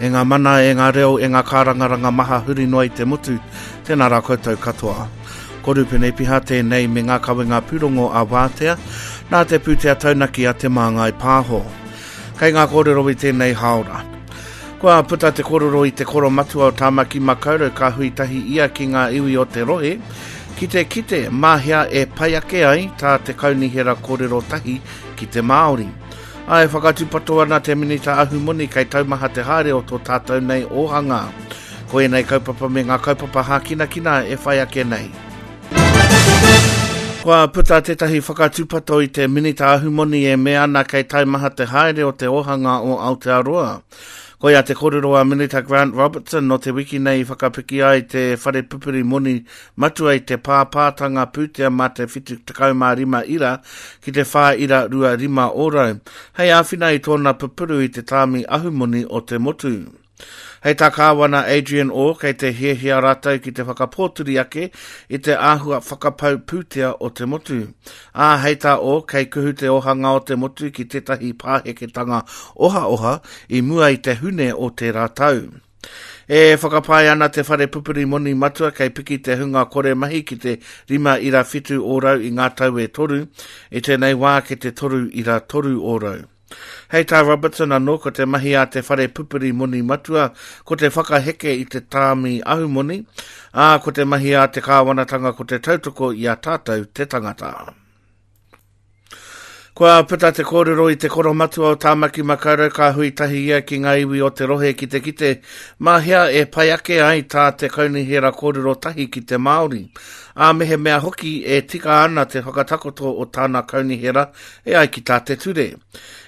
E ngā mana, e ngā reo, e ngā kārangaranga maha huri noa i te motu, tēnā rā koutou katoa. Ko Rupene Piha tēnei me ngā kawenga pūrongo a Wātea, nā te pūtea taunaki a Te Māngai Pāho. Kei ngā kōrero i tēnei hāora. Kua puta te kōrero i te koromatua o Tāmaki Makaurau ka hui tahi ia ki ngā iwi o te rohe, ki te kite mā hea e pai ake ai tā te kaunihera kōrero tahi ki te Māori. Ā, e whakatūpato ana te Minita Ahumoni kei taumaha te haere o tō tātou nei ōhanga. Ko ēnei kaupapa me ngā kaupapa hākinakina e whai ake nei. Kua puta tētahi whakatūpato i te Minita Ahumoni e mea ana kei taimaha te haere o te ōhanga o Aotearoa. Koia te kōrero a Minita Grant Robertson nō te wiki nei i whakapiki ai te whare pupuri moni matua i te pāpātanga pūtea mā te 75 ira ki te 4.25 ōrau, hei āwhina i tōna pupuru i te tāmi ahumoni o te motu. Hei tā Kāwana Adrian Orr kei te hiahia rātou ki te whakapōturi ake i te āhua whakapau pūtea o te motu. Ā, hei tā Orr kei kuhu te ōhanga o te motu ki tētahi pāheketanga ohaoha i mua i te Hune o tērā tau. E whakapae ana te whare pupuri moni matua kei piki te hunga kore mahi ki te 5.7 ōrau i ngā tau e toru, i tēnei wā ki te 3.3 ōrau. Hei tā Robertson anō ko te mahi a te whare pupuri moni matua ko te whakaheke i te tāmi ahumoni, ā, ko te mahi a te kāwanatanga ko te tautoko i a tātou te tangata. Kua puta te kōrero i te koromatua o Tāmaki Makaurau ka hui tahi ia ki ngā iwi o te rohe ki te kite mā hea e pai ake ai tā te kaunihera kōrero tahi ki te Māori. Ā, mehemea hoki e tika ana te whakatakoto o tāna kaunihera e ai ki tā te ture.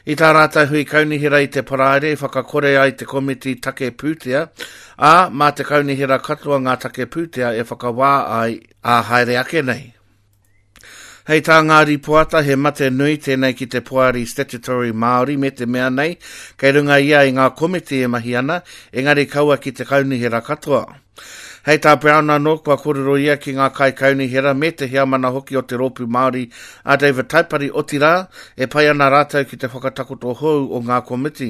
I tā rātou hui kaunihera i te Paraire i whakakore ai te komiti take pūtea, ā, mā te kaunihera katoa ngā take pūtea e whakawā ai ā haere ake nei. Hei tā ngā rīpoata, he mate nui tēnei ki te Poari Statutory Māori me te mea nei, kei runga ia i ngā komiti e mahi ana, engari kaua ki te kaunihera katoa. Hei tā Brown anō, kua kōrero ia ki ngā kaikaunihera me te heamana hoki o te Rōpū Māori a David Taipari, otirā, e pai ana rātou ki te whakatakoto hou o ngā komiti.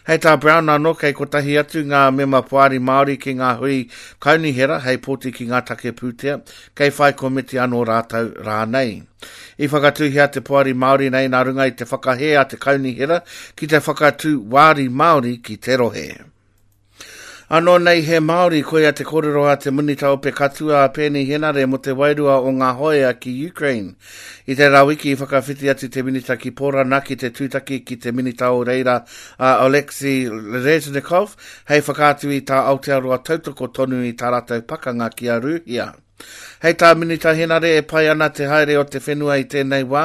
Hei tā Brown anō, kei kotahi atu ngā mema Poari Māori ki ngā hui kaunihera hei pōti ki ngā take pūtea, kei whai komiti anō rātou rānei. I whakatūhia te Poari Māori nei nā runga i te whakahē a te Kaunihera ki te whakatū wāri Māori ki te rohe. Anō nei he Māori, koia te kōrero a te Minita Ope Katua a Peeni Henare mō te wairua o ngā hoea ki Ukraine. I tērā wiki i whakawhiti atu te Minita ki Pōrana ki te tūtaki ki te Minita o reira a Oleksiy Reznikov hei whakaatu i tā Aotearoa tautoko tonu i tā rātou pakanga ki a Rūhia. Hei tā Minita Henare e pai ana te haere o te whenua i tēnei wā,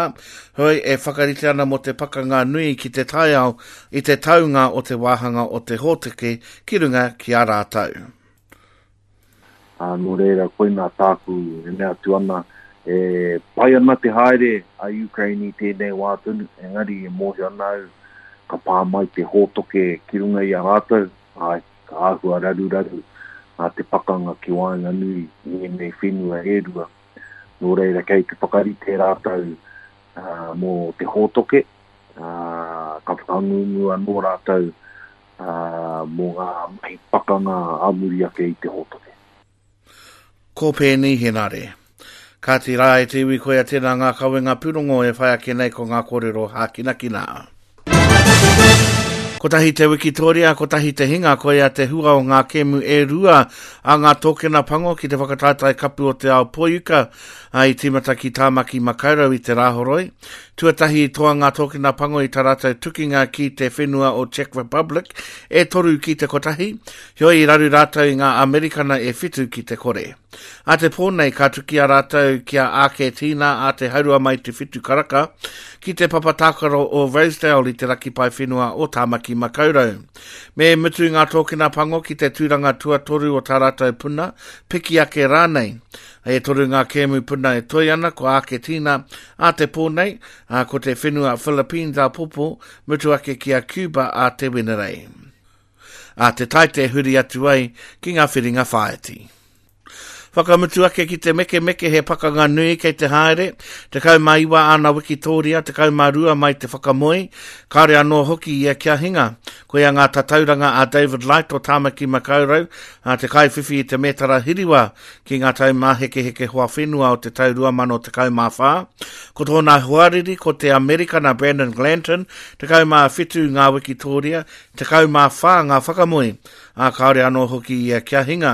hoi e whakarite ana mō te pakanga nui ki te taiao i te taunga o te wāhanga o te hōteke ki runga ki a rātou. Ā, nō reira, koinā tāku e mea atu ana, e pai ana te haere a Ukraine i tēnei wā tonu, engari e mōhio ana au ka pā mai te hōtoke ki runga i a rātou, āe, ka āhua raruraru te pakanga ki waenganui i ēnei whenua e rua. Nō reira, kei te whakarite rātou mō te hōtoke, ā, ka whakangungu anō rātou mō ngā mahi pakanga ā muri ake i te hōtoke. Ko Peeni Henare. Kāti rā e te iwi koia tēnā ngā kawenga pūrongo e whai ake nei ko ngā kōrero hākinakina. Kotahi te wikitoria, kotahi te hinga, koia te hua o ngā kēmu e rua a ngā tōkena pango ki te whakataetae kapu o te ao poiuka i tīmata ki Tāmaki Makaurau i te Rāhoroi. Tuatahi i toa ngā tōkena pango i tā rātou tukinga ki te whenua o Czech Republic e 3-1, heoi i raru rātou i ngā Amerikana e 7-0. A te pō nei ka tuki a rātou ki a Āketīna a te haurua mai te whitu karaka ki te papa tākaro o Rosedale i te raki paewhenua o Tāmaki Makaurau. Me mutu ngā tōkena pango ki te tūranga tuatoru o tā rātou puna, piki ake rānei. E toru ngā kēmu puna e toe ana, ko Āketīna ā te pō nei, ā, ko te whenua Philippines āpōpō, mutu ake ki a Cuba ā te Wenerei. Ā te Taite huri atu ai ki ngā whiringa whāiti. Whakamutu ake ki te mekemeke he pakanga nui kei te haere, 19 āna wikitōria, 12 mai te whakamoe, kāore anō hoki ia kia hinga. Koia ngā tatauranga a David Light o Tāmaki Makaurau, a te kaiwhiwhi i te mētara hiriwa ki ngā taumāhekeheke hoa whenua o te tau 2014. Ko tōna hoariri ko te Amerikana Brandon Glanton, 17 ngā wikitōria, 14 ngā whakamoe. ā, kāore anō hoki ia kia hinga.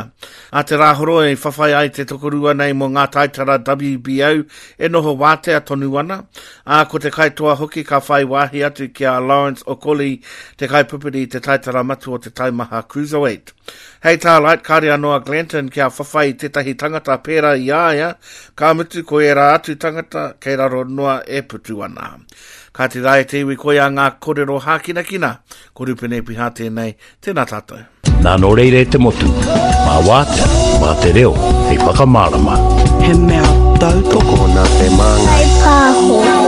Ā te Rāhoroi i whawhai ai te tokorua nei mō ngā taitara WBO e noho wātea tonu ana, ā, ko te kaitoa hoki ka whai wāhi atu ki a Lawrence Okoli, te kaipupuri i te taitara matua o te taimaha Cruiserweight. Hei tā Light, kāore anō a Glanton kia whawhai i tētahi tangata pērā i a ia, ka mutu ko ērā atu tangata kei raro noa e putu ana. Kāti rā e te iwi koia ngā korero hākinakina, ko Rupene Piha tēnei, Tēnā tātou. Nā nō reira e te motu, mā wātea, mā te reo, hei whakamārama. He mea tautoko nā te māngai. Pāho.